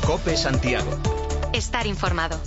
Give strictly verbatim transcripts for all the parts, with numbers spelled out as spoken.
COPE Santiago. Estar informado.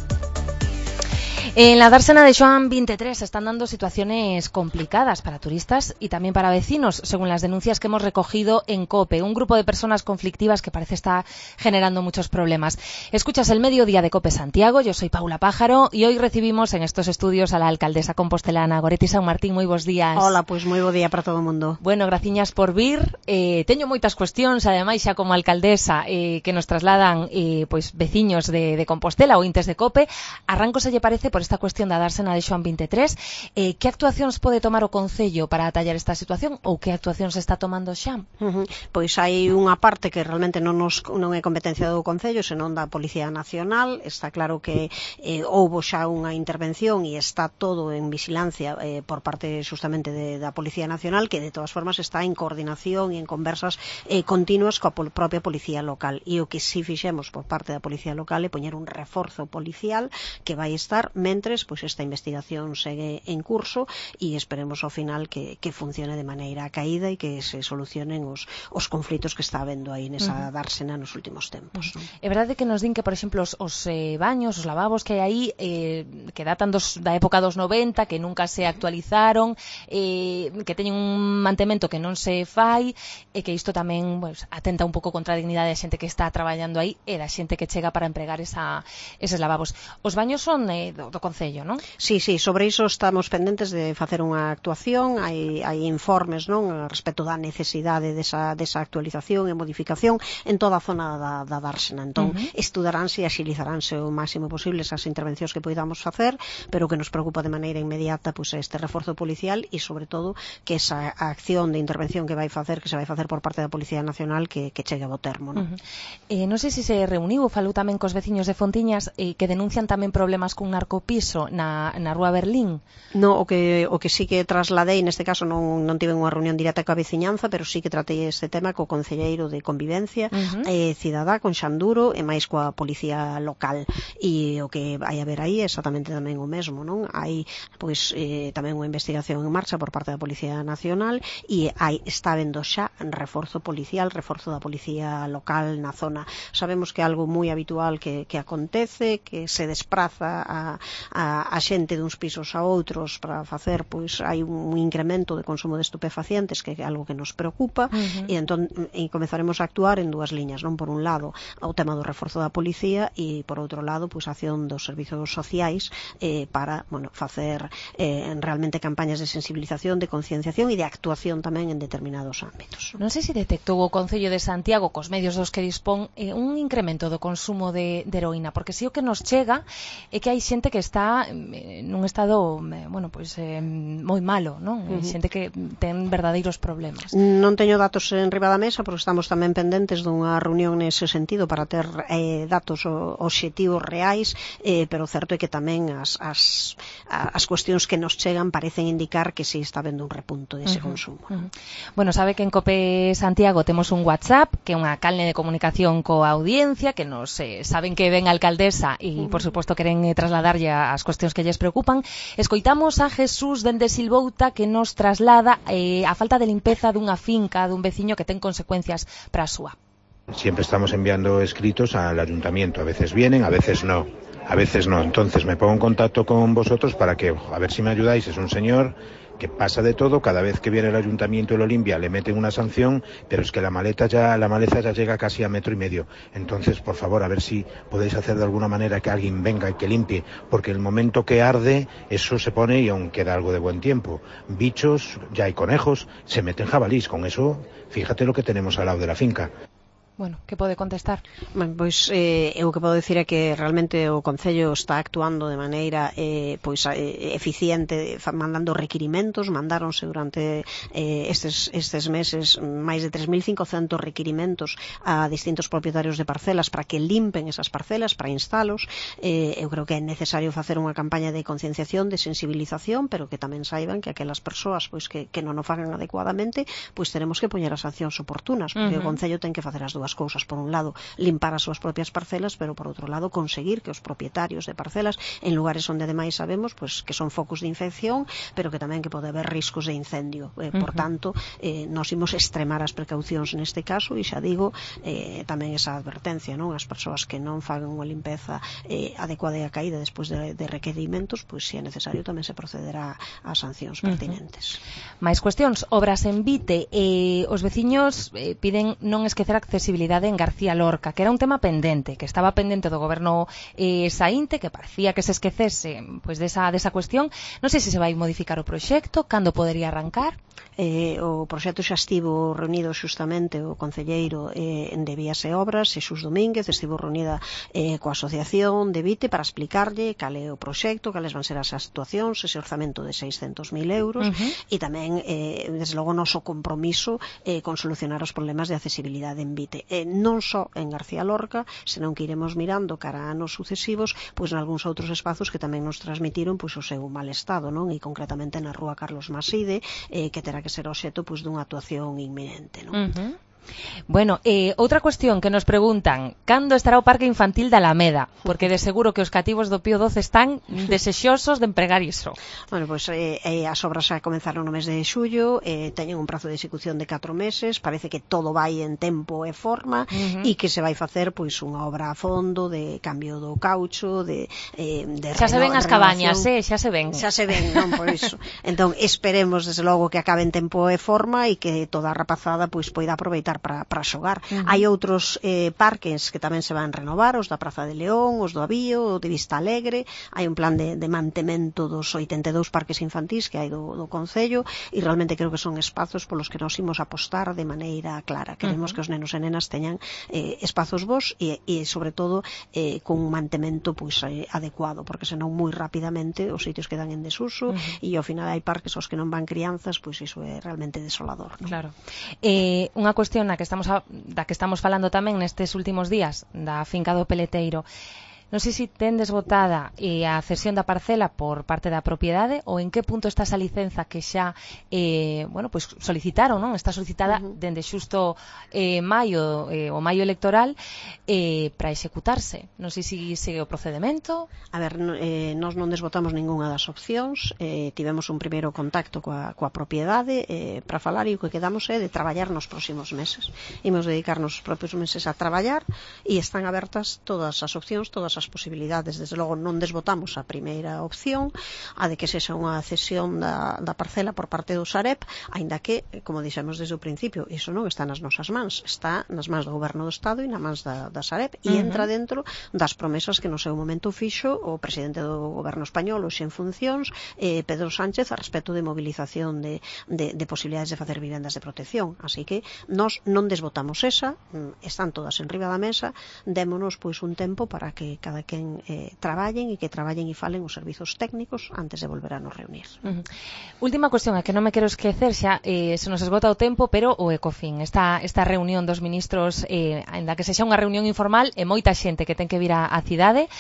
En la dársena de Xoán veintitrés se están dando situaciones complicadas para turistas y también para vecinos, según las denuncias que hemos recogido en COPE, un grupo de personas conflictivas que parece estar generando muchos problemas. Escuchas el Mediodía de COPE Santiago, yo soy Paula Pájaro y hoy recibimos en estos estudios a la alcaldesa compostelana Goretti San Martín. Moi bons días. Hola, pois moi bo día para todo o mundo. Bueno, graciñas por vir. Eh, teño moitas cuestións, ademais xa como alcaldesa eh, que nos trasladan eh, pois veciños de, de Compostela ou intes de COPE. Arranco, se lle parece, por esta cuestión da dársena de Xoán veintitrés, eh, que actuacións pode tomar o Concello para atallar esta situación ou que actuacións está tomando xa? Uh -huh. Pois hai unha parte que realmente non, nos, non é competencia do Concello, senón da Policía Nacional. Está claro que eh, houbo xa unha intervención e está todo en vigilancia eh, por parte justamente de, da Policía Nacional, que de todas formas está en coordinación e en conversas eh, continuas coa pol, propia Policía Local. E o que si fixemos por parte da Policía Local é poñer un reforzo policial que vai estar mentres pois esta investigación segue en curso e esperemos ao final que, que funcione de maneira caída e que se solucionen os, os conflitos que está habendo aí nesa uh -huh. dársena nos últimos tempos. Uh -huh. É verdade que nos din que, por exemplo, os, os eh, baños, os lavabos que hai aí eh, que datan dos, da época dos noventa, que nunca se actualizaron, eh, que teñen un mantemento que non se fai e que isto tamén pues, atenta un pouco contra a dignidade da xente que está traballando aí e da xente que chega para empregar esa, eses lavabos. Os baños son eh, do, do Concello, non? Sí, sí, sobre iso estamos pendentes de facer unha actuación, hai, hai informes, non, respecto da necesidade desa, desa actualización e modificación en toda a zona da, da dársena. Entón, uh -huh. estudaránse e axilizaránse o máximo posible esas intervencións que poidamos facer, pero que nos preocupa de maneira inmediata pois, este reforzo policial e, sobre todo, que esa acción de intervención que vai facer, que se vai facer por parte da Policía Nacional, que, que chegue a bo termo, non? Uh -huh. eh, non sei se se reuniu ou falou tamén cos veciños de Fontiñas eh, que denuncian tamén problemas cun narcopiso na, na Rúa Berlín. No, o que, o que sí que trasladei, neste caso non, non tive unha reunión directa coa veciñanza, pero sí que tratei este tema co concelleiro de Convivencia, uh -huh. eh, Cidadá, con Xanduro e máis coa Policía Local. E o que vai haber aí é exactamente tamén o mesmo, non? Hai, pois, eh, tamén unha investigación en marcha por parte da Policía Nacional e hai, está habendo xa reforzo policial, reforzo da Policía Local na zona. Sabemos que é algo moi habitual que, que acontece, que se despraza a, a, a xente duns pisos a outros para facer, pois hai un incremento de consumo de estupefacientes que é algo que nos preocupa. Uh -huh. e entón e comezaremos a actuar en dúas liñas, non? Por un lado, o tema do reforzo da policía e por outro lado, pois a acción dos servizos sociais eh, para, bueno, facer eh, realmente campañas de sensibilización, de concienciación e de actuación tamén en determinados ámbitos. Non sei se detectou o Concello de Santiago cos medios dos que dispón eh, un incremento do consumo de, de heroína, porque si o que nos chega é que hai xente que está eh, nun estado, eh, bueno, pois eh, moi malo, non? Uh -huh. Xente que ten verdadeiros problemas. Non teño datos en riba da mesa, porque estamos tamén pendentes dunha reunión nese sentido para ter eh, datos obxectivos reais, eh, pero o certo é que tamén as, as, as cuestións que nos chegan parecen indicar que si está habendo un repunto dese uh -huh. consumo. Uh -huh. Bueno, sabe que en COPE Santiago temos un WhatsApp, que é unha canle de comunicación coa audiencia, que nos eh, saben que ven a alcaldesa e, uh -huh. por suposto, queren eh, trasladarlle as cuestións que lles preocupan. Escoitamos a Jesús dende Silvouta, que nos traslada eh, a falta de limpeza dunha finca dun veciño que ten consecuencias para a súa. Siempre estamos enviando escritos al ayuntamiento, a veces vienen, a veces no, a veces no. Entonces me pongo en contacto con vosotros para que, a ver si me ayudáis. Es un señor que pasa de todo, cada vez que viene el ayuntamiento y lo limpia le meten una sanción, pero es que la maleta ya, la maleza ya llega casi a metro y medio. Entonces, por favor, a ver si podéis hacer de alguna manera que alguien venga y que limpie, porque el momento que arde, eso se pone y aún queda algo de buen tiempo. Bichos, ya hay conejos, se meten jabalís, con eso, fíjate lo que tenemos al lado de la finca. Bueno, que pode contestar? Ben, pois eh, eu o que podo dicir é que realmente o Concello está actuando de maneira eh, pois eh, eficiente, mandando requirimentos. Mandáronse durante eh, estes, estes meses máis de tres mil cincocentos requirimentos a distintos propietarios de parcelas para que limpen esas parcelas, para instalos. Eh, eu creo que é necesario facer unha campaña de concienciación, de sensibilización, pero que tamén saiban que aquelas persoas pois que, que non o fagan adecuadamente, pois teremos que poñer as sancións oportunas, porque uh -huh. o Concello ten que facer as dúas dúas cousas, por un lado limpar as súas propias parcelas, pero por outro lado conseguir que os propietarios de parcelas en lugares onde ademais sabemos pues, que son focos de infección, pero que tamén que pode haber riscos de incendio. Eh, por uh -huh. tanto, eh, nos imos extremar as precaucións neste caso e xa digo, eh, tamén esa advertencia, non? As persoas que non fagan unha limpeza eh, adecuada e a caída despois de, de requerimentos, pois se é necesario tamén se procederá a sancións pertinentes. Uh -huh. Máis cuestións, obras en Vite, eh, os veciños eh, piden non esquecer a accesibilidade en García Lorca, que era un tema pendente, que estaba pendente do goberno eh, saínte, que parecía que se esquecese pois desa, desa cuestión. Non sei se se vai modificar o proxecto, cando podería arrancar? Eh, o proxecto xa estivo reunido xustamente o concelleiro eh, de Vías e Obras, Xesús Domínguez, estivo reunida eh, coa asociación de Vite para explicarlle cal é o proxecto, cales van ser as actuacións, ese orzamento de seiscentos mil euros, uh -huh. e tamén, eh, desde logo, noso compromiso eh, con solucionar os problemas de accesibilidade en Vite. Eh, non só en García Lorca, senón que iremos mirando cara a anos sucesivos, pois nalgúns outros espazos que tamén nos transmitiron pois o seu mal estado, non? E concretamente na rúa Carlos Maside, eh, que terá que ser obxecto pois dunha actuación inminente, non? Uh -huh. Bueno, eh, outra cuestión que nos preguntan, cando estará o Parque Infantil da Alameda? Porque de seguro que os cativos do Pío doce están desexosos de empregar iso. Bueno, pois pues, eh, eh, as obras xa comenzaron no mes de xullo, eh, teñen un prazo de execución de catro meses, parece que todo vai en tempo e forma, uh -huh. e que se vai facer pois unha obra a fondo de cambio do caucho, de, eh, de xa se ven as cabañas, eh, xa se ven. Xa se ven, non, por iso. Entón, esperemos desde logo que acabe en tempo e forma e que toda a rapazada pois poida aproveitar para, para xogar. Uh -huh. Hai outros eh, parques que tamén se van renovar, os da Praza de León, os do Avío, o de Vista Alegre. Hai un plan de, de mantemento dos oitenta e dous parques infantís que hai do, do Concello, e realmente creo que son espazos polos que nos imos apostar de maneira clara. Queremos uh -huh. que os nenos e nenas teñan eh, espazos bons e, e sobre todo eh, con un mantemento pois, eh, adecuado, porque senón moi rapidamente os sitios quedan en desuso, uh -huh. e ao final hai parques aos que non van crianzas, pois iso é realmente desolador, non? Claro. Eh, unha cuestión na que estamos a, da que estamos falando tamén nestes últimos días, da finca do Peleteiro. Non sei se tendes votada eh, a cesión da parcela por parte da propiedade, ou en que punto está esa licenza que xa eh, bueno, pues solicitaron, non? Está solicitada uh -huh. dende xusto eh, maio, eh, o maio electoral eh, para executarse. Non sei se segue o procedemento. A ver, eh, nós non desvotamos ningunha das opcións, eh, tivemos un primeiro contacto coa, coa propiedade eh, para falar, e o que quedamos é de traballar nos próximos meses. Imos dedicarnos os propios meses a traballar, e están abertas todas as opcións, todas as as posibilidades. Desde logo non desvotamos a primeira opción, a de que sexa unha cesión da, da parcela por parte do Sareb, aínda que, como dixemos desde o principio, iso non está nas nosas mans, está nas mans do Goberno do Estado e nas mans da, da Sareb, e uh -huh. entra dentro das promesas que no seu momento fixo o presidente do Goberno español, hoxe en funcións, eh, Pedro Sánchez, a respecto de movilización de, de, de posibilidades de facer vivendas de protección. Así que nós non desvotamos esa, están todas en riba da mesa, démonos pois un tempo para que cada quen eh, traballen e que traballen e falen os servizos técnicos antes de volver a nos reunir. Uh -huh. Última cuestión, a que non me quero esquecer xa, eh, se nos esgota o tempo, pero o Ecofin, esta, esta reunión dos ministros, eh, ainda que sexa unha reunión informal, e moita xente que ten que vir a, a cidade,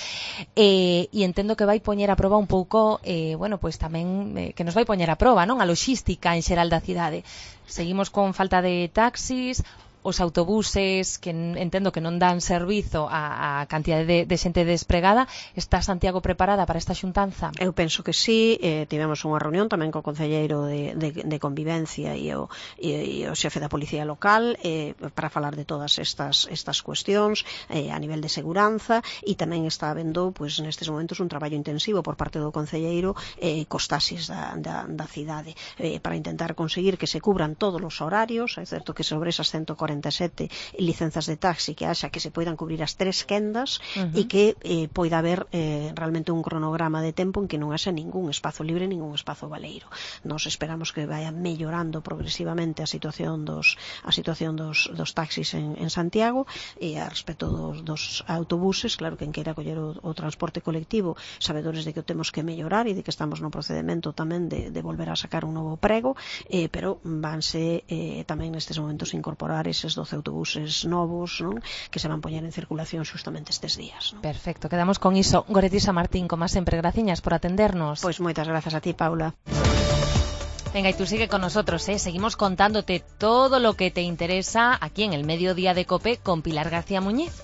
eh, e entendo que vai poñer a proba un pouco, eh, bueno, pois tamén eh, que nos vai poñer a proba, non? A logística en xeral da cidade. Seguimos con falta de taxis, os autobuses que entendo que non dan servizo a, a cantidade de, de xente despregada. Está Santiago preparada para esta xuntanza? Eu penso que sí, eh, tivemos unha reunión tamén co concelleiro de, de, de convivencia e o, e, e o xefe da policía local eh, para falar de todas estas, estas cuestións eh, a nivel de seguranza, e tamén está habendo pues, nestes momentos un traballo intensivo por parte do concelleiro eh, cos taxis da, da, da cidade eh, para intentar conseguir que se cubran todos os horarios. É certo que sobre esas ciento cuarenta e sete licenzas de taxi que haxa que se poidan cubrir as tres quendas, uh -huh. e que eh, poida haber eh, realmente un cronograma de tempo en que non haxa ningún espazo libre, ningún espazo baleiro. Nos esperamos que vaya mellorando progresivamente a situación dos a situación dos, dos taxis en, en Santiago, e a respecto dos, dos autobuses, claro que en queira coller o, o transporte colectivo, sabedores de que o temos que mellorar e de que estamos no procedemento tamén de, de volver a sacar un novo prego, eh, pero vanse eh, tamén nestes momentos incorporar eses doce autobuses novos, non? Que se van poñer en circulación xustamente estes días, non? Perfecto, quedamos con iso. Goretisa Martín, como sempre, graciñas por atendernos. Pois moitas grazas a ti, Paula. Venga, y tú sigue con nosotros, ¿eh? Seguimos contándote todo lo que te interesa aquí en el Mediodía de COPE con Pilar García Muñiz.